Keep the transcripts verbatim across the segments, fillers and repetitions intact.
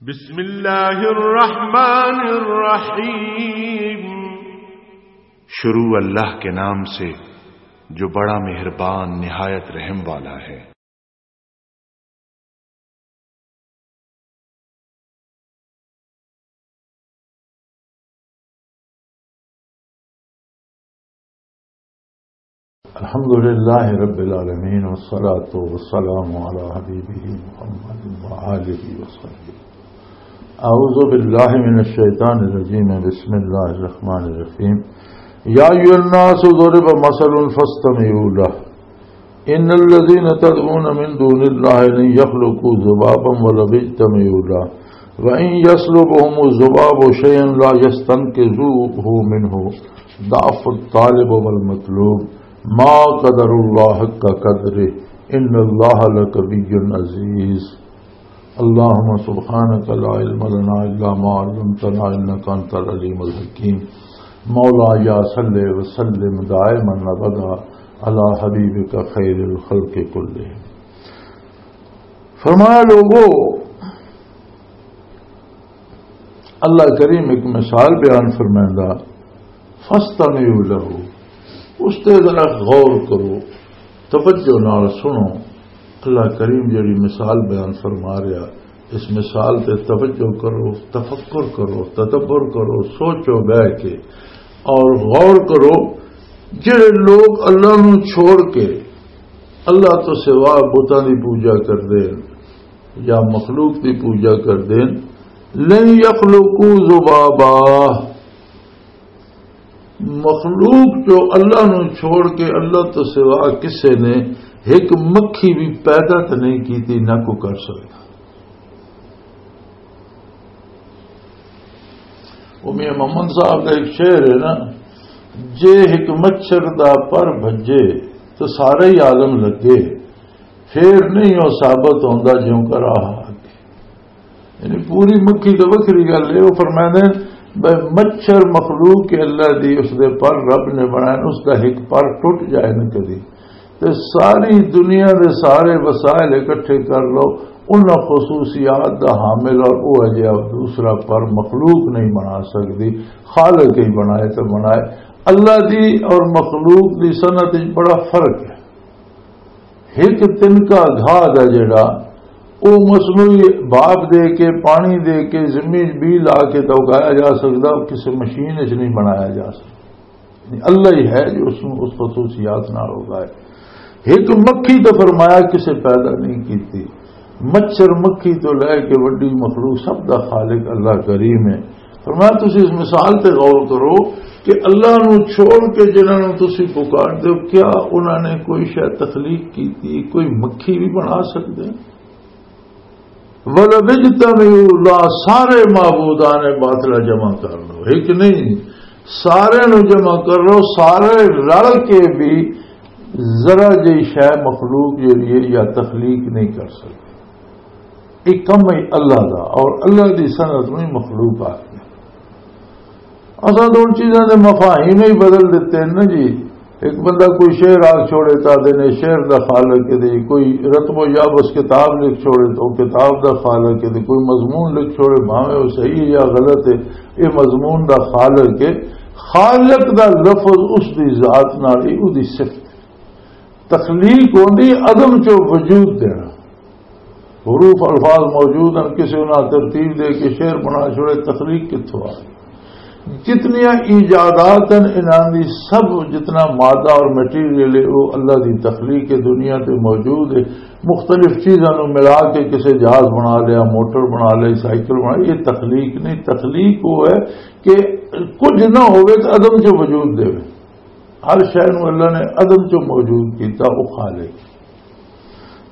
بسم اللہ الرحمن الرحیم۔ شروع اللہ کے نام سے جو بڑا مہربان نہایت رحم والا ہے۔ الحمد لله رب العالمين، والصلاة والسلام على حبيبه محمد وآله وصحبه. أعوذ بالله من الشيطان الرجيم. بسم الله الرحمن الرحيم. يا أيها الناس ضرب مثل فاستمعوا له. إن الذين تدعون من دون الله لن يخلقوا ذبابا ولو اجتمعوا له. وإن يسلبهم الذباب شيئا لا يستنقذوه منه. ضعف الطالب والمطلوب. ما قدر الله حق قدره. إن الله لقوي عزيز. اللهم سبحانك لا علم لنا إلا ما علمتنا إنك أنت العليم الحكيم. مولاي صل وسلم دائما أبدا على حبيبك خير الخلق كلهم. فرمایا لوگو، اللہ کریم ایک مثال بیان فرمائندا، فاستمعوا له، اس تے ذرا غور کرو، توجہ نال سنو۔ اللہ کریم جڑی مثال بیان فرما رہا، اس مثال تے توجہ کرو، تفکر کرو، تدبر کرو، سوچو بہ کے اور غور کرو۔ جڑے لوگ اللہ نو چھوڑ کے اللہ تو سوا بتاں دی پوجا کردے ہن یا مخلوق دی پوجا کردے ہن، لن یخلقوا ذبابا، مخلوق جو اللہ نو چھوڑ کے اللہ تو سوا کسے نے ایک مکھی بھی پیدا تے نہیں کیتی، نہ کو کر سکتا۔ وہ میاں محمد صاحب کا ایک شعر ہے نا، جے ایک مچھر دا پر بھجے تو سارا ہی عالم لگے، پھر نہیں وہ ثابت ہوندا جیوں کر آہا۔ یعنی پوری مکھی تو وکھری گل ہے۔ وہ فرماندے نے، بھئی مچھر مخلوق کے اللہ دی، اس دے پر رب نے بنائے، اس دا ایک پر ٹوٹ جائے نہ کدی، تے ساری دنیا دے سارے وسائل اکٹھے کر لو، انہاں خصوصیات دا حامل اور وہ اجے دوسرا پر مخلوق نہیں بنا سکدی۔ خالق ہی بنائے تے بنائے۔ اللہ دی اور مخلوق دی صنعت وچ بڑا فرق ہے۔ ایک تنکا گھا دا جڑا، او مصنوعی بھاپ دے کے، پانی دے کے، زمین بی لا کے تو اگایا جا سکدا، او کسے مشین وچ نہیں بنایا جا سکدا۔ یعنی اللہ ہی ہے جو اس نوں اس خصوصیات نال اگائے۔ ایک مکھی تو فرمایا کسے پیدا نہیں کیتی، مچھر مکھی تو لے کے وڈی مخلوق سب دا خالق اللہ کریم ہے۔ فرمایا، تسی اس مثال تے غور کرو کہ اللہ نو چھوڑ کے جنہاں نو تسی پکار دے ہو، کیا انہاں نے کوئی شے تخلیق کیتی، کوئی مکھی بھی بنا سکدے؟ وَلَوِ اجْتَمَعُوا لَهُ، سارے معبودان باطلہ جمع کر لو، ایک نہیں، سارے نو جمع کر لو، سارے رل کے بھی ذرا جی شے مخلوق جڑی ہے یا تخلیق نہیں کر سکتے۔ ایک کم ہے اللہ دا، اور اللہ دی صنعت نوں ہی مخلوق آکھدے۔ اساں تو ان چیزاں دے مفاہیم ہی بدل دتے ہیں نا جی۔ ایک بندہ کوئی شعر آکھ چھوڑے تا دے نے شعر دا خالق ہے دے، کوئی رتب و یابس کتاب لکھ چھوڑے تو کتاب دا خالق ہے دے، کوئی مضمون لکھ چھوڑے بھاویں وہ صحیح ہے یا غلط ہے، یہ مضمون دا خالق ہے۔ خالق دا لفظ اس دی ذات نال ہی، او دی صفت۔ تخلیق ہوندی عدم چوں وجود دینا۔ حروف الفاظ موجود ہیں، کسی انہاں ترتیب دے کے شعر بنا چھوڑے، تخلیق کتھوں آ گئی؟ جتنیاں ایجادات ہیں انہاں دی سب، جتنا مادہ اور مٹیریل ہے، وہ اللہ دی تخلیق ہے، دنیا تے موجود ہے۔ مختلف چیزاں نوں ملا کے کسی جہاز بنا لیا، موٹر بنا لئی، سائیکل بنا لئی، یہ تخلیق نہیں۔ تخلیق وہ ہے کہ کچھ نہ ہوئے تو عدم چوں وجود دے۔ ہر شے نوں اللہ نے عدم چوں موجود کیتا، وہ خالق۔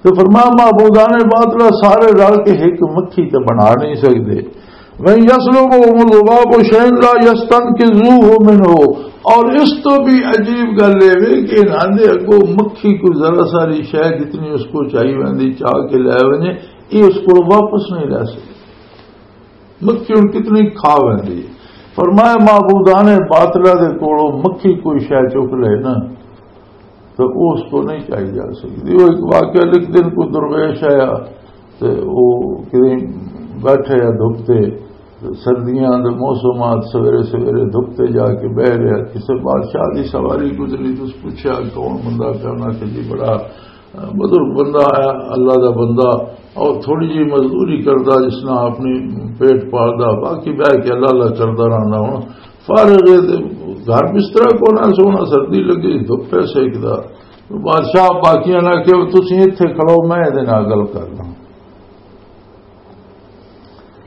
تو فرمایا، معبودان باطلہ سارے رل کے ایک مکھی تے بنا نہیں سکدے۔ وَإِنْ يَسْلُبْهُمُ الذُّبَابُ شَيْئًا لَا يَسْتَنْقِذُوهُ مِنْهُ۔ اور اس تو بھی عجیب گل یہ وے کہ انہاں دے اگوں مکھی کوئی ذرا ساری شے جتنی اس کو چاہیے ویندی چاہ کے لے ونجے، یہ اس کو واپس نہیں لے سکدے۔ مکھی ہن کتنی کھا ویندی ہے۔ فرمایا، معبودان باطلہ دے کولوں مکھی کوئی شے چک لے نا، تو وہ اس کو نہیں چاہی جا سکتی۔ وہ ایک واقعہ لکھ دین، کوئی درویش آیا، تو وہ کہیں بیٹھے یا دھپ تے، سردیاں دے موسمات، سویرے سویرے دھپ تے جا کے بہ رہیا۔ کسے بادشاہ دی سواری گزری، تس پوچھیا کون بندہ؟ پیا انہاں کہ جی بڑا بزرگ بندہ آیا، اللہ دا بندہ، اور تھوڑی جی مزدوری کردا، جس نال اپنی پیٹ پالدا، باقی بہ کے اللہ اللہ کردا رہندا۔ ہن فارغ ہے تے گھر بسترا کونا، سونا، سردی لگی، دھپ پہ سیکدا۔ بادشاہ باقیاں نال کہ تسی ایتھے کھڑو، میں ایدے نال گل کر لوں۔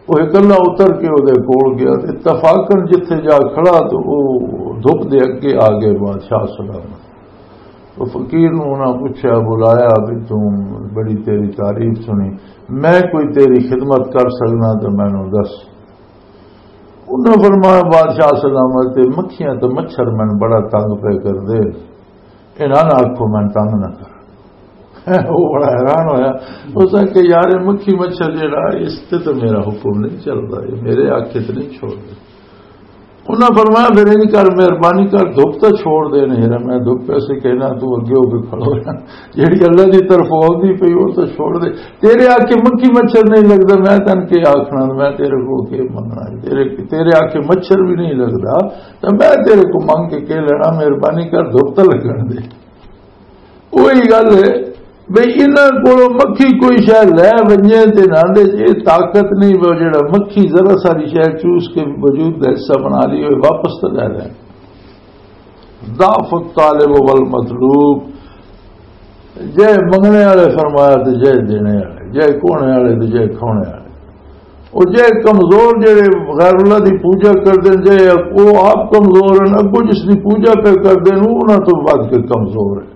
وہ اکلا اتر کے وہ کول گیا، تے اتفاقاً جتھے جا کھڑا تو وہ دھپ دے اگے آ گئے بادشاہ سلامت۔ تو فقیر نوں انہاں پوچھا، بلایا، بھی تم، بڑی تیری تعریف سنی، میں کوئی تیری خدمت کر سکنا تو مینوں دس۔ انہاں فرمایا، بادشاہ سلامت، تے مکھیاں تے مچھر مینوں بڑا تنگ پے کر دے، انہاں نہ آکھو میں تنگ نہ کر۔ وہ بڑا حیران ہویا۔ اس نے کہ یار، یہ مکھی مچھر جیڑا، اس تے تو میرا حکم نہیں چلدا، یہ میرے آکھے تے نہیں چھوڑ دے۔ انہاں فرمایا، پھر انج کر، مہربانی کر، دھپ تو چھوڑ دے۔ نہیں یار، میں دھپ ایسے کہنا، تو اگے ہو کے کھڑو رہنا۔ جیڑی اللہ دی طرف آندی پئی، وہ تو چھوڑ دے۔ تیرے آکھے مکھی مچھر نہیں لگدا، میں تن کے آکھنا، میں تیرے کو کے منگنا ہے؟ تیرے، تیرے آکھے مچھر بھی نہیں لگدا، تو میں تیرے کو منگ کے کے لینا؟ مہربانی کر، دھپ تو لگن دے۔ وہی گل ہے بھئی، انہاں کولوں مکھی کوئی شے لے ونجے تے نہ دے، یہ طاقت نہیں، وہ جڑا مکھی ذرا ساری شے چوس کے وجود دا حصہ بنا لی ہوئے، واپس تو لے لے۔ ضعف الطالب والمطلوب، جے منگنے والے فرمایا تے جے دینے والے، جے کونے والے تے جے کھونے والے۔ وہ جے کمزور، جڑے غیر اللہ دی پوجا کردے، جے وہ آپ کمزور ہیں، اگوں جس دی پوجا پہ کردے، انہاں تو ود کے کمزور ہے۔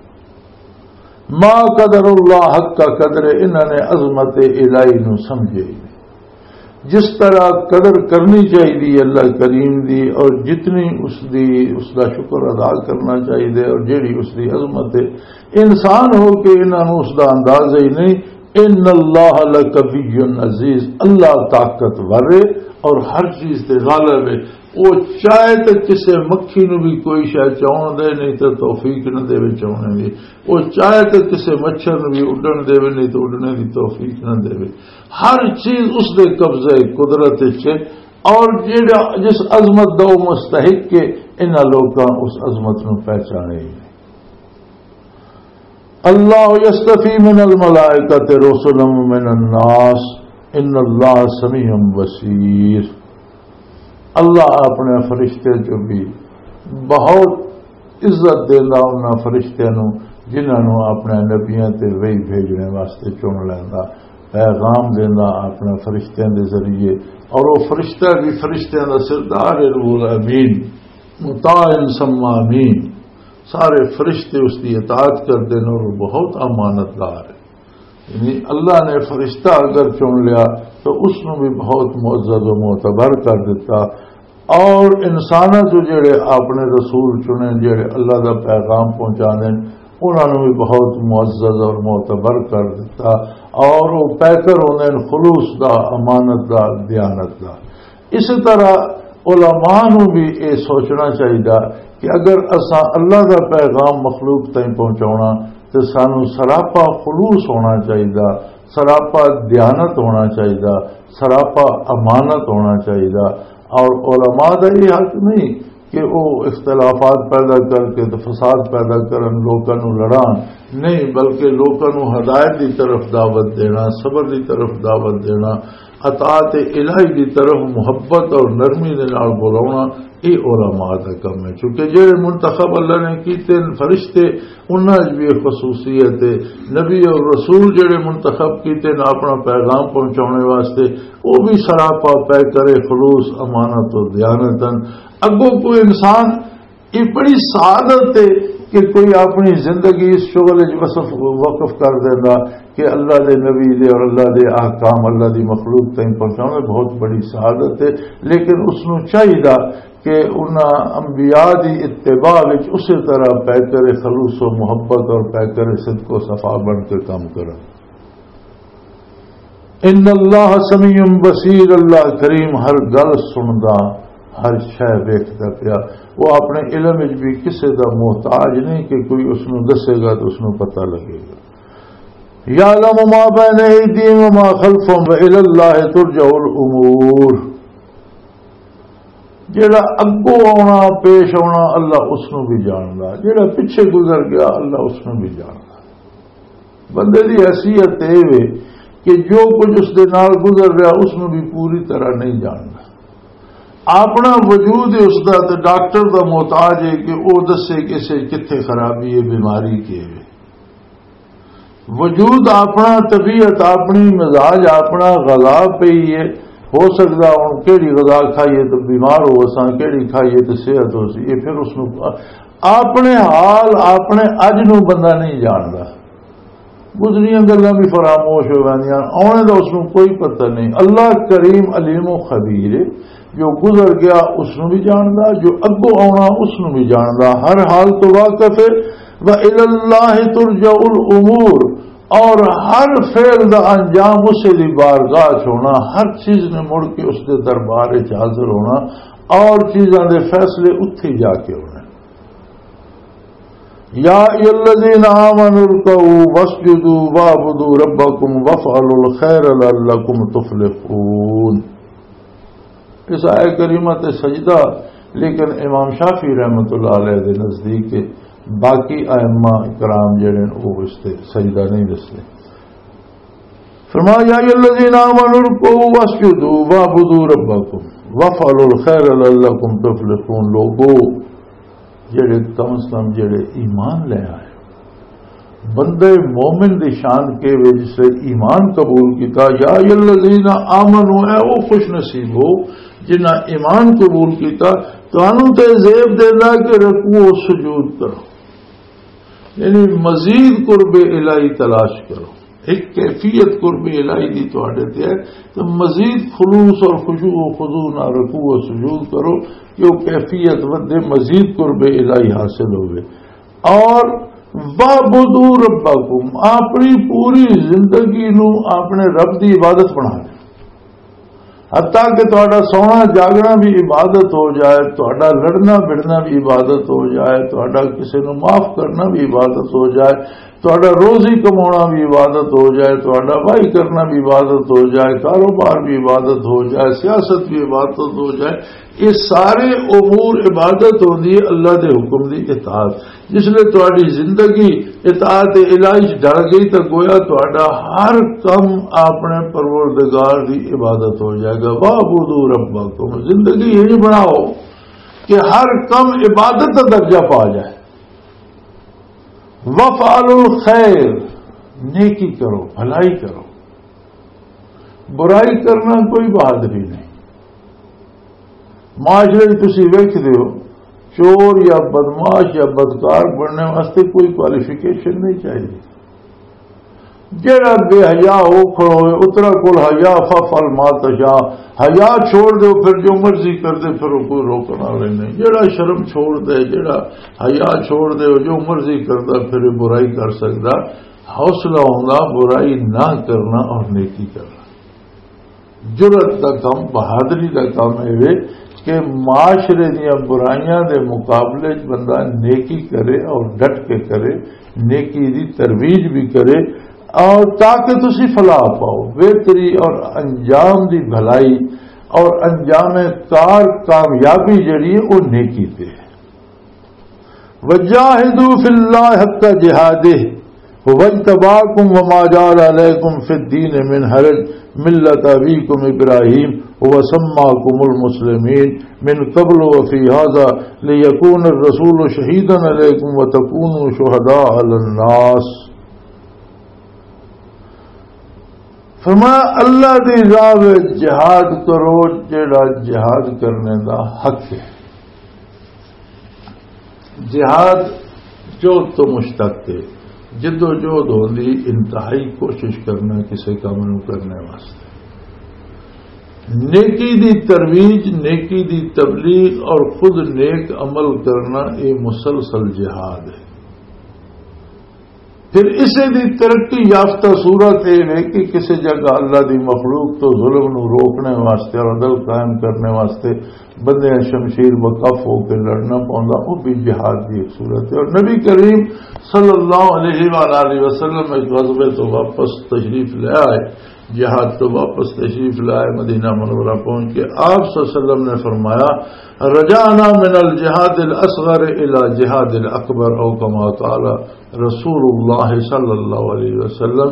ما قدر اللہ حق کا قدر، انہاں نے عظمت الہی نو سمجھے ہی نہیں۔ جس طرح قدر کرنی چاہیے اللہ کریم دی، اور جتنی اس دی، اس دا شکر ادا کرنا چاہیے، اور جیڑی اس دی عظمت ہے، انسان ہو کے انہاں نوں اس دا اندازہ ہی نہیں۔ ان اللہ لقوی عزیز، اللہ طاقتور ہے اور ہر چیز تے غالب ہے۔ وہ چاہے تے کسے مکھی نوں بھی کوئی شے چاہن دے، نہیں تے توفیق نہ دے چاہنے دی۔ وہ چاہے تے کسے مچھر نوں بھی اڈن دے، نہیں تے اڈنے دی توفیق نہ دے۔ ہر چیز اس دے قبضے قدرت وچ ہے، اور جیڑا، جس عظمت دا وہ مستحق ہے، انہاں لوکاں اس عظمت نوں پہچانے ہی نہیں۔ اللہ یستفی من الملائکۃ رسلا من الناس، ان اللہ سمیع بصیر۔ اللہ اپنے فرشتے جو بھی بہت عزت دیندا انہاں فرشتیاں نوں، جنہاں نوں اپنے نبیاں تے وحی بھیجنے واسطے چن لیندا، پیغام دیندا اپنے فرشتیاں دے ذریعے۔ اور وہ فرشتہ بھی فرشتیاں دا سردار ہے، روح الامین، مطاع ثم امین۔ سارے فرشتے اس دی اطاعت کردے نے اور بہت امانت دار ہے۔ یعنی اللہ نے فرشتہ اگر چن لیا تو اس نوں بھی بہت معزز و معتبر کر دیتا۔ اور انساناں جو جڑے اپنے رسول چنے، جڑے اللہ دا پیغام پہنچانے، انہاں نوں بھی بہت معزز اور معتبر کر دیتا۔ اور وہ پیکر ہوندے نے خلوص دا، امانت دا، دیانت دا۔ اسی طرح علماء نوں بھی یہ سوچنا چاہیے کہ اگر اساں اللہ دا پیغام مخلوق تائیں پہنچاونا تے سانوں سراپا خلوص ہونا چاہیے، سراپا دیانت ہونا چاہیے، سراپا امانت ہونا چاہیے۔ اور علماء دا یہ حق نہیں کہ وہ اختلافات پیدا کر کے تے فساد پیدا کرن، لوکاں نوں لڑان، نہیں، بلکہ لوکاں نوں ہدایت دی طرف دعوت دینا، صبر دی طرف دعوت دینا، اطاعت الہی دی طرف محبت اور نرمی دے نال بلاونا، یہ علماء دا کم ہے۔ چونکہ جڑے منتخب اللہ نے کیتے ہیں فرشتے، انہاں وچ بھی ایک خصوصیت ہے۔ نبی اور رسول جڑے منتخب کیتے ہیں اپنا پیغام پہنچانے واسطے، وہ بھی سراپا پے کرے خلوص، امانت اور دیانت ہیں۔ اگوں کوئی انسان، یہ بڑی سعادت ہے کہ کوئی اپنی زندگی اس شغل وچ وصف، وقف کر دینا کہ اللہ دے نبی دے اور اللہ دے احکام اللہ دی مخلوق تائیں پہنچانا، بہت بڑی سعادت ہے۔ لیکن اس نوں چاہیدا کہ انہاں انبیاء دی اتباع وچ اسی طرح پیکر خلوص و محبت اور پیکر صدق و صفا بن کے کام کرن۔ ان اللہ سمیع بصیر، اللہ کریم ہر گل سندا، ہر شے ویکھدا پیا۔ وہ اپنے علم وچ بھی کسے دا محتاج نہیں کہ کوئی اس نوں دسے گا تو اس نوں پتہ لگے گا۔ یعلم ما بین ایدیہم وما خلفہم وإلی اللہ ترجع الامور۔ جڑا اگوں آنا، پیش آنا، اللہ اس نو بھی جاندا۔ جڑا پیچھے گزر گیا، اللہ اس نو بھی جاندا۔ بندے دی حیثیت اے وے کہ جو کچھ اس دے نال گزر رہا، اس نو بھی پوری طرح نہیں جاندا۔ اپنا وجود ہی اس دا تے ڈاکٹر دا محتاج ہے کہ او دسے کہ اسے کتھے خرابی ہے، بیماری کی ہے۔ وجود اپنا، طبیعت اپنی، مزاج اپنا، غذا پئی ہے۔ ہو سکدا ہن کیڑی غذا کھائیے تے بیمار ہو اساں، کیڑی کھائیے تے صحت ہو سی۔ یہ پھر اس نو اپنے حال، اپنے اج نو بندہ نہیں جاندا۔ گزریاں گلاں بھی فراموش ہو ویندیاں، آنے دا اس نو کوئی پتہ نہیں۔ اللہ کریم علیم و خبیر ہے، جو گزر گیا اس نو بھی جاندا، جو اگوں آنا اس نو بھی جاندا، ہر حال تو واقف ہے۔ وَإِلَى اللَّهِ تُرْجَعُ الْأُمُورُ، اور ہر فعل دا انجام اسے دی بارگاہ چ ہونا، ہر چیز نے مڑ کے اس دے دربار وچ حاضر ہونا، اور چیزاں دے فیصلے اتھے جا کے ہونے۔ یا ایھا الذین آمنوا ارکعوا واسجدوا واعبدوا ربکم وافعلوا الخیر لعلکم تفلحون۔ اس آیت کریمہ تے سجدہ، لیکن امام شافعی رحمۃ اللہ علیہ دے نزدیک باقی ائمہ کرام جڑے نے، وہ اس تے سجدہ نہیں دسدے۔ فرمایا، یا ایھا الذین آمنوا ارکعوا واسجدوا واعبدوا ربکم وافعلوا الخیر لعلکم تفلحون۔ لوگو، جڑے کم از کم جڑے ایمان لے آئے، بندے مومن دی شان کے وے جس نے ایمان قبول کیتا۔ یا ایھا الذین آمنوا، اے او خوش نصیب ہو جنہاں ایمان قبول کیتا۔ تانوں تے زیب دیندا کہ رکوع و سجود کرو، یعنی مزید قرب الہی تلاش کرو۔ ایک کیفیت قرب الہی دی تواڈے تے ہے، تو مزید خلوص اور خشوع و خضوع نال رکوع و سجود کرو کہ وہ کیفیت ودے، مزید قرب الہی حاصل ہوئے۔ اور واعبدوا ربکم، اپنی پوری زندگی نو اپنے رب دی عبادت بنا لے۔ حتیٰ کہ تہاڈا سونا جاگنا بھی عبادت ہو جائے، تہاڈا لڑنا بھڑنا بھی عبادت ہو جائے، تہاڈا کسے نوں معاف کرنا بھی عبادت ہو جائے، تہاڈا روزی کمانا بھی عبادت ہو جائے، تہاڈا واہی کرنا بھی عبادت ہو جائے، کاروبار بھی عبادت ہو جائے، سیاست بھی عبادت ہو جائے، یہ سارے امور عبادت ہوندی ہے اللہ دے حکم دی اطاعت۔ جس لئے تہاڈی زندگی اطاعت الہی چ ڈل گئی، تو گویا تہاڈا ہر کم اپنے پروردگار دی عبادت ہو جائے گا۔ واعبدوا ربکم، زندگی یہی بناؤ کہ ہر کم عبادت کا درجہ پا جائے۔ وافعلوا الخیر، نیکی کرو، بھلائی کرو۔ برائی کرنا کوئی بہادری نہیں۔ معاشرے وچ تسی ویکھدے ہو، چور یا بدمعاش یا بدکار بننے واسطے کوئی کوالیفیکیشن نہیں چاہیے۔ جیڑا بے حیا ہو کھڑو ہوئے، اترا کول حیا، فافعل ما تشاء، حیا چھوڑ دیو، پھر جو مرضی کر دے، پھر وہ کوئی روکن والے نہیں۔ جیڑا شرم چھوڑ دے، جیڑا حیا چھوڑ دے، جو مرضی کردا، پھر یہ برائی کر سکدا۔ حوصلہ ہوندا برائی نہ کرنا اور نیکی کرنا۔ جرأت دا کم، بہادری دا کم اے وے کہ معاشرے دیاں برائیاں دے مقابلے چ بندہ نیکی کرے اور ڈٹ کے کرے، نیکی دی ترویج بھی کرے، اور تاکہ تسی فلاح پاؤ، بہتری اور انجام دی بھلائی اور انجام کار کامیابی جڑی ہے، وہ نیکی تے ہے۔ وجاہدوا فی اللہ حق جہادہ، هو اجتباکم وما جعل علیکم فی الدین من حرج، ملۃ ابیکم ابراہیم، هو سماکم المسلمین من قبل وفی هذا، لیکون الرسول شہیدا علیکم وتکونوا شہداء علی الناس۔ فرمایا، اللہ دی راہ وچ جہاد کرو، جیڑا جہاد کرنے دا حق ہے۔ جہاد جہد تو مشتق ہے، جد و جہد ہوندی انتہائی کوشش کرنا کسی کام نو کرنے واسطے۔ نیکی دی ترویج، نیکی دی تبلیغ اور خود نیک عمل کرنا، یہ مسلسل جہاد ہے۔ پھر اسے دی ترقی یافتہ صورت یہ ہے کہ کسی جگہ اللہ دی مخلوق تو ظلم نو روکنے واسطے اور عدل قائم کرنے واسطے بندیاں شمشیر وقف ہو کے لڑنا پوندا، وہ بھی جہاد دی ایک صورت ہے۔ اور نبی کریم صلی اللہ علیہ وآلہ وسلم اس غزوے تو واپس تشریف لے آئے، جہاد تو واپس تشریف لائے، مدینہ منورہ پہنچ کے آپ صلی اللہ علیہ وسلم نے فرمایا، "رجعنا من الجهاد الاصغر الى جهاد الاکبر"، او کما قال رسول اللہ صلی اللہ علیہ وسلم،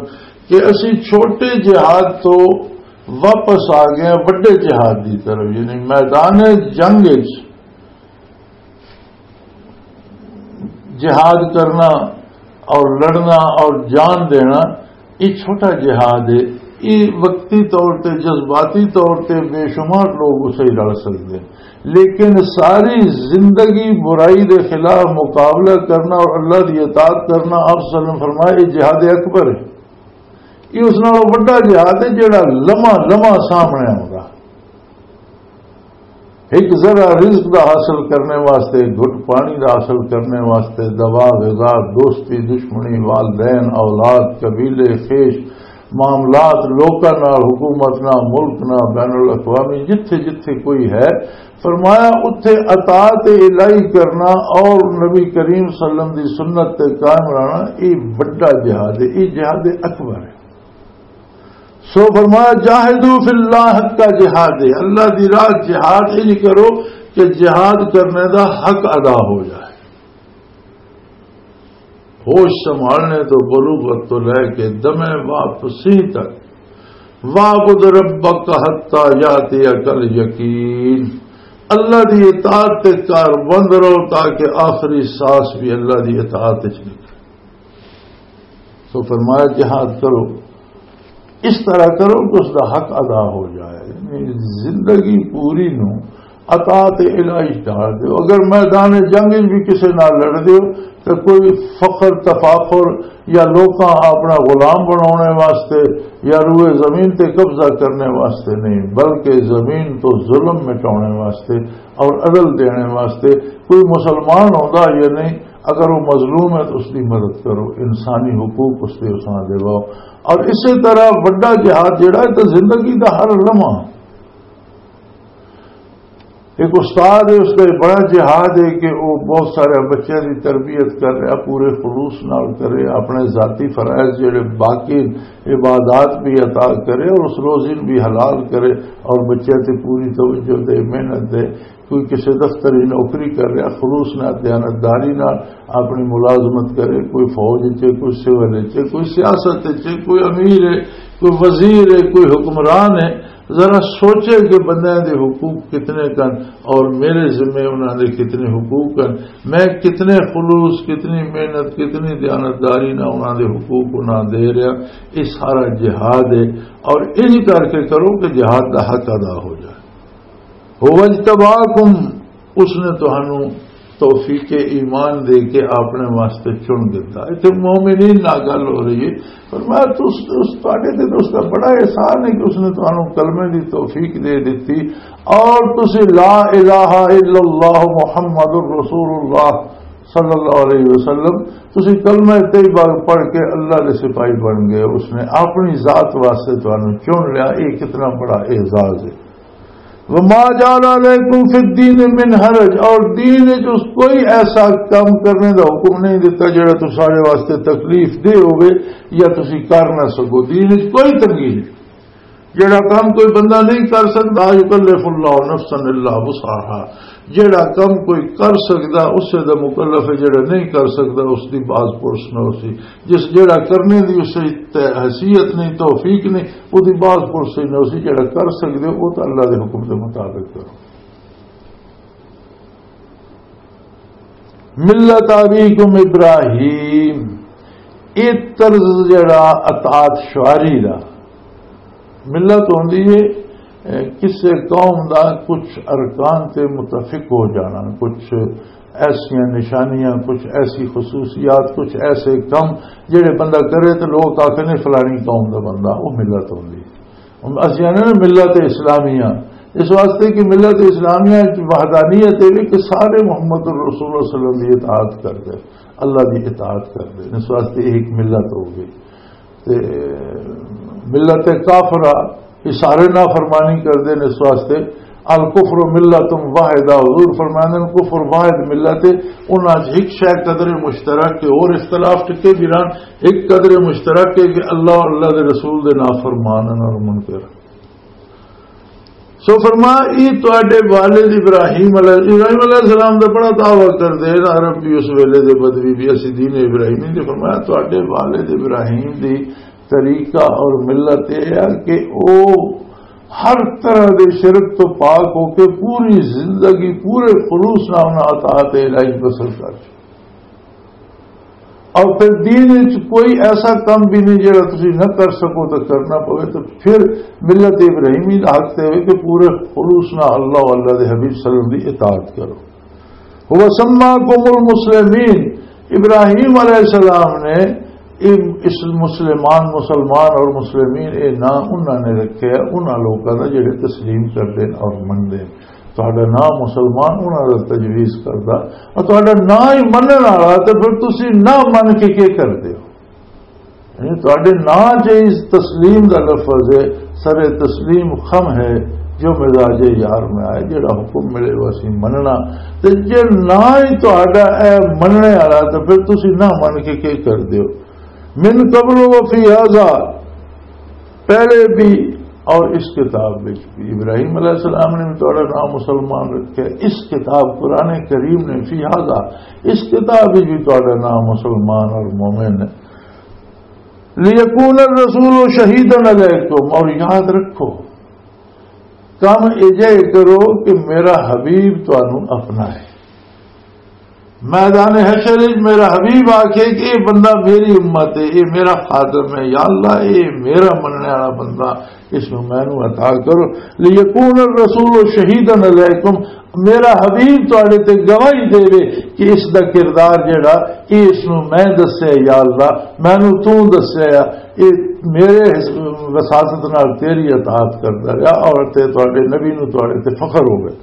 کہ اسی چھوٹے جہاد تو واپس آ گئے ہیں وڈے جہاد دی طرف، یعنی میدان جنگ وچ جہاد کرنا اور لڑنا اور جان دینا، یہ چھوٹا جہاد ہے۔ یہ وقتی طور تے، جذباتی طور تے بے شمار لوگ اسے لڑ سکتے ہیں، لیکن ساری زندگی برائی دے خلاف مقابلہ کرنا اور اللہ دی اطاعت کرنا، آپ صلی اللہ علیہ وسلم فرمایا، یہ جہاد اکبر ہے۔ یہ اس نالوں وڈا جہاد ہے جڑا لمحہ لمحہ سامنے آؤندا۔ ایک ذرا رزق دا حاصل کرنے واسطے، گھٹ پانی دا حاصل کرنے واسطے، دوا، غذا، دوستی، دشمنی، والدین، اولاد، قبیلے، خیش، معاملات، لوکاں نال، حکومت نال، ملک نال، بین الاقوامی، جتھے جتھے کوئی ہے، فرمایا، اتھے اطاعت الہی کرنا اور نبی کریم صلی اللہ علیہ وسلم دی سنت تے قائم رہنا، یہ بڑا جہاد ہے، یہ جہاد اکبر ہے۔ سو فرمایا، "جاہدوا فی اللہ حق کا جہاد"، اللہ دی راہ جہاد انج کرو کہ جہاد کرنے دا حق ادا ہو جائے۔ ہوش سنبھالنے تو، بلوغت تو لے کے دمے واپسی تک، "واعبد ربک حتی یاتیک الیقین"، اللہ دی اطاعت تے کار بند رہو تاکہ آخری سانس بھی اللہ دی اطاعت وچ نکلے۔ تو فرمایا، جہاد کرو، اس طرح کرو کہ اس دا حق ادا ہو جائے۔ یعنی زندگی پوری نو اطاعت الہی ڈال دیو۔ اگر میدان جنگ وچ بھی کسے نال لڑ دیو تو کوئی فخر تفاخر یا لوکاں اپنا غلام بناونے واسطے یا روئے زمین تے قبضہ کرنے واسطے نہیں، بلکہ زمین تو ظلم مٹاونے واسطے اور عدل دینے واسطے۔ کوئی مسلمان ہوندا یا نہیں، اگر وہ مظلوم ہے تو اس کی مدد کرو، انسانی حقوق اس کے اساں دیواؤ۔ اور اسی طرح وڈا جہاد جڑا ہے تو زندگی دا ہر لمحہ۔ ایک استاد ہے، اس کا بڑا جہاد ہے کہ وہ بہت سارے بچیاں دی تربیت کر رہا، پورے خلوص نال کرے، اپنے ذاتی فرائض جڑے باقی عبادات بھی عطا کرے اور اس روزی نوں بھی حلال کرے اور بچیاں تے پوری توجہ دے، محنت دے۔ کوئی کسی دفتر وچ نوکری کر رہا، خلوص نال، دیانتداری نال اپنی ملازمت کرے، کوئی فوج وچ ہے، کوئی سول وچ ہے، کوئی سیاست وچ ہے، کوئی امیر ہے، کوئی وزیر ہے، کوئی حکمران ہے، ذرا سوچے کہ بندیاں دے حقوق کتنے کن اور میرے ذمے انہاں دے کتنے حقوق کن، میں کتنے خلوص، کتنی محنت، کتنی دیانتداری نال انہاں دے حقوق انہاں دے رہا۔ یہ سارا جہاد ہے۔ اور انج کر کے کرو کہ جہاد دا حق ادا ہو جائے۔ "هو اجتباکم"، اس نے تہانوں توفیق ایمان دے کے اپنے واسطے چن دیتا۔ اتنے مومنین نال گل ہو رہی ہے، فرمایا، "تس، اس، تہاڈے تے اس دا بڑا احسان ہے کہ اس نے تہانوں کلمے دی توفیق دے دیتی اور تسی لا الہ الا اللہ محمد رسول اللہ صلی اللہ علیہ وسلم، تسی کلمہ طیبہ پڑھ کے اللہ دے سپاہی بن گئے، اس نے اپنی ذات واسطے تہانوں چن لیا۔" یہ کتنا بڑا اعزاز ہے۔ "وما جعل علیکم فی الدین من حرج"، اور دین وچ اس کوئی ایسا کام کرنے دا حکم نہیں دیتا جڑا تساڈے واسطے تکلیف دہ ہوے یا تسی کر نہ سکو۔ دین وچ کوئی تنگی نہیں، جڑا کام کوئی بندہ نہیں کر سکدا، "لا یکلف اللہ نفسا الا وسعها"، جڑا کم کوئی کر سکدا، اسے دا مکلف ہے، جڑا نہیں کر سکدا، اس دی باز پرس نہ ہوسی۔ جس جڑا کرنے دی اسے تے حیثیت نہیں، توفیق نہیں، او دی باز پرسی نہ ہوسی۔ جڑا کر سکدے ہو، او تے اللہ دے حکم دے مطابق کرو۔ ملت ابیکم ابراہیم، اے طرز جڑا اطاعت شعاری دا، ملت ہوندی ہے، اے، کسے قوم دا کچھ ارکان تے متفق ہو جانا، کچھ ایسیاں نشانیاں، کچھ ایسی خصوصیات، کچھ ایسے کم جڑے بندہ کرے تے لوگ آکھے نے فلانی قوم دا بندہ، وہ ملت ہوندی ہے۔ ہن اسی آنے نا ملت اسلامیہ، اس واسطے کہ ملت اسلامیہ وچ وحدانیت ہے کہ سارے محمد الرسول صلی اللہ علیہ وسلم دی اطاعت کر دے، اللہ دی اطاعت کر دے، اس واسطے ایک ملت ہو گئی۔ تے ملت کافرہ، یہ سارے نافرمانی کردے نے، اس واسطے الکفر ملت واحدہ، حضور فرماندے نے، کفر واحد ملت ہے، انہاں 'چ ایک شے قدر مشترک ہے، اور اختلاف ٹکے بھی رہن، ایک قدر مشترک ہے کہ اللہ اور اللہ دے رسول دے نافرمان ہیں اور منکر۔ سو فرما، یہ تواڈے والد ابراہیم علیہ، ابراہیم علیہ السلام دا بڑا دعویٰ کردے ہیں، عرب بھی اس ویلے دے بدوی بھی، اسی دین ابراہیمی دے۔ فرمایا، تواڈے والد ابراہیم دی طریقہ اور ملت یہ ہے کہ او ہر طرح دے شرک تو پاک ہو کے پوری زندگی پورے خلوص نال انہاں اطاعت الہی بسر کر چکے۔ اور پھر دین وچ کوئی ایسا کم بھی نہیں جڑا تسی نہ کر سکو تو کرنا پوے، تو پھر ملت ابراہیمی دا حق تے ہوئے کہ پورے خلوص نال اللہ و اللہ دے حبیب صلی اللہ علیہ وسلم دی اطاعت کرو۔ هو سماکم المسلمین، ابراہیم علیہ السلام نے، اے اس مسلمان، مسلمان اور مسلمین، اے نام انہاں نے رکھے، انہاں لوکاں دا جڑے تسلیم کردے نے اور مندے نے۔ تہاڈا نام مسلمان انہاں دا تجویز کردا، اور تہاڈا نام ہی منن والا، تے پھر تسی نہ من کے کی کردے ہو؟ یعنی تہاڈے نام چ اس تسلیم دا لفظ ہے، سر تسلیم خم ہے، جو مزاج یار میں آئے، جڑا حکم ملے وہ اسی مننا۔ تے جے نہ ہی تہاڈا اے مننے والا، تے پھر تسی نہ من کے کی کردے ہو؟ من قبل و فی ھذا، پہلے بھی اور اس کتاب وچ بھی۔ ابراہیم علیہ السلام نے بھی تہاڈا نام مسلمان رکھا ہے، اس کتاب قرآن کریم نے، فی ھذا، اس کتاب وچ بھی تہاڈا نام مسلمان اور مومن ہے۔ لیکون الرسول شہیدا علیکم، اور یاد رکھو، کم ایجے کرو کہ میرا حبیب تانوں اپنا ہے۔ میدان حشر وچ میرا حبیب آکھے کہ اے بندہ میری امت ہے، اے میرا خادم ہے، یا اللہ، اے میرا مننے والا بندہ، اس نو مینوں عطا کرو۔ لیکون الرسول شہیدا علیکم، میرا حبیب تواڈے تے گواہی دے کہ اس دا کردار جڑا، اے اس نو میں دسیا، یا اللہ، مینوں تو دسیا، اے میرے وساطت نال تیری اطاعت کردا رہیا، اور تے تواڈے نبی نو تواڈے تے فخر ہوے۔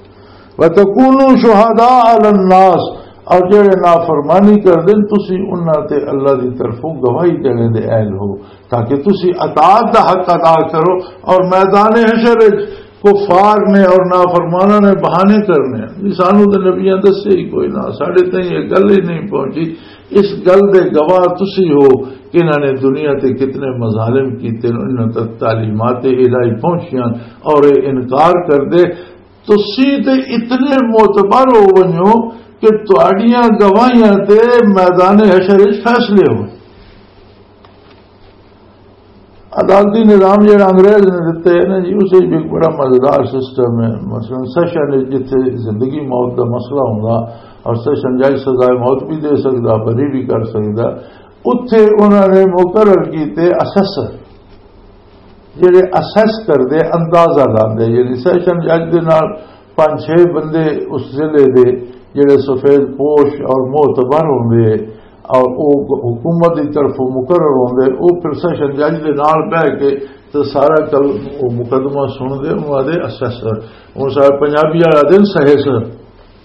وَتَكُونُوا شُهَدَاءَ عَلَى النَّاسِ، اور جڑے نافرمانی کردے نے، تسی انہاں تے اللہ دی طرفوں گواہی دینے دے اہل ہو، تاکہ تسی اطاعت دا حق ادا کرو اور میدان حشر وچ کفار نے اور نافرماناں نے بہانے کرنے ہیں۔ جی، سانو تے نبیاں دسے ہی کوئی نہ، ساڈے تائیں یہ گل ہی نہیں پہنچی۔ اس گل دے گواہ تسی ہو کہ انہاں نے دنیا تے کتنے مظالم کیتے، انہاں تک تعلیمات الہی پہنچیاں اور یہ انکار کر دے۔ تسی تے اتنے معتبر ہو ونجو کہ تہاڈیاں گواہیاں تے میدان حشر وچ فیصلے ہو۔ عدالتی نظام جڑا انگریز نے دتے ہے نا جی، اس وچ بھی ایک بڑا مزیدار سسٹم ہے۔ مثلاً سیشن وچ جتھے زندگی موت دا مسئلہ ہوندا اور سیشن جج سزائے موت بھی دے سکدا، بری بھی کر سکدا، اتھے انہاں نے مقرر کیتے اسیسر، جڑے اسیس کردے، اندازہ لاندے، یعنی سیشن جج دے نال پنج چھ بندے اس ضلع دے جڑے سفید پوش اور معتبر ہوندے اور او حکومت دی طرفوں مقرر ہوندے، او پھر سیشن جج دے نال بہ کے تے سارا کل-، او مقدمہ سن دے، انہاں دے اسیسر، ہن سارے پنجابی والا دن سہیسر،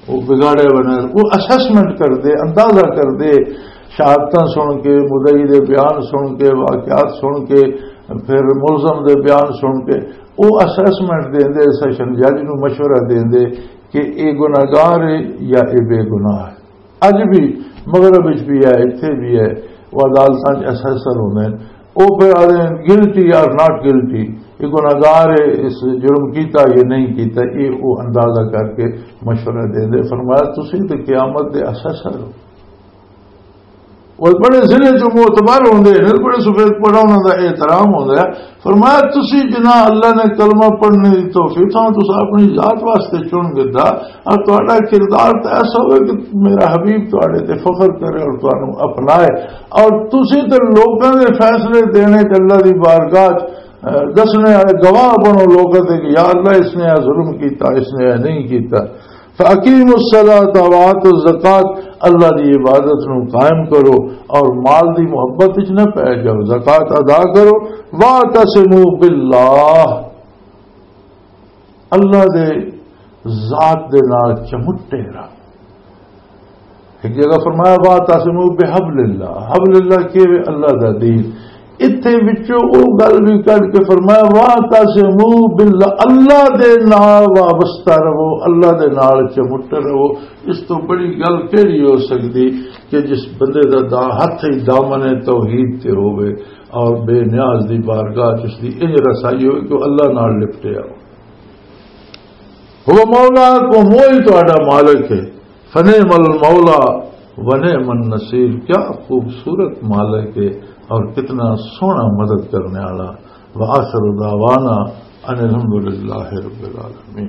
او بگاڑے بنے، او اسیسمنٹ کردے، اندازہ کردے، شہادتاں سن کے، مدعی دے بیان سن کے، واقعات سن کے، پھر ملزم دے بیان سن کے، او اسیسمنٹ دیندے، سیشن جج نوں مشورہ دیندے کہ اے گناہگار ہے یا اے بے گناہ ہے۔ اج بھی مغرب وچ بھی ہے، اتھے بھی ہے، وہ عدالتاں وچ اسیسر ہوندے نے، وہ پھر آدھے گلٹی اور ناٹ گلٹی، یہ گناہگار ہے، اس جرم کیتا یا نہیں کیتا، یہ وہ اندازہ کر کے مشورہ دے دے۔ فرمایا، تسی تے قیامت دے اسیسر ہو۔ وہ بڑے ضلع چ معتبر ہوندے نے، بڑے سفید پڑا انہاں دا احترام ہوندا ہے۔ فرمایا، تسی جنہاں اللہ نے کلمہ پڑھنے دی توفیق تھانوں تساں اپنی ذات واسطے چن گدا، اور تہاڈا کردار تے ایسا ہوئے کہ میرا حبیب تہاڈے تے فخر کرے اور تہانوں اپنائے، اور تسی تے لوکاں دے فیصلے دینے تے اللہ دی بارگاہ چ، اے، دسنے والے گواہ بنو لوکاں تے کہ یا اللہ، اس نے اے ظلم کیتا، اس نے اے نہیں کیتا۔ فَأَقِيمُوا الصَّلَاةَ وَآتُوا الزَّكَاةَ، اللہ دی عبادت نو قائم کرو اور مال دی محبت وچ نہ پے جاؤ، زکوٰۃ ادا کرو۔ وَاعْتَصِمُوا بِاللَّهِ، اللہ دے ذات دے نال چمٹے رہو۔ ایک جگہ فرمایا، وَاعْتَصِمُوا بِحَبْلِ اللَّهِ، حبل اللہ کی وے اللہ دا دین۔ اتھے وچوں او گل بھی کڈ کے فرمایا، "واعتصموا باللہ"، اللہ دے نال وابستہ رہو، اللہ دے نال چمٹ رہو۔ اس تو بڑی گل کیڑی ہو سکدی کہ جس بندے دا دا-، ہتھ ہی دامن توحید تے ہووے اور بے نیاز دی بارگاہ چ اس دی انج رسائی ہوئے کہ وہ اللہ نال لپٹے آؤ۔ "هو مولاکم"، وہی تہاڈا مالک ہے۔ "فنعم المولا ونعم النصیر"، کیا خوبصورت مالک ہے اور کتنا سوہنا مدد کرنے والا۔ "وآخر دعوانا ان الحمد للہ رب العالمین"۔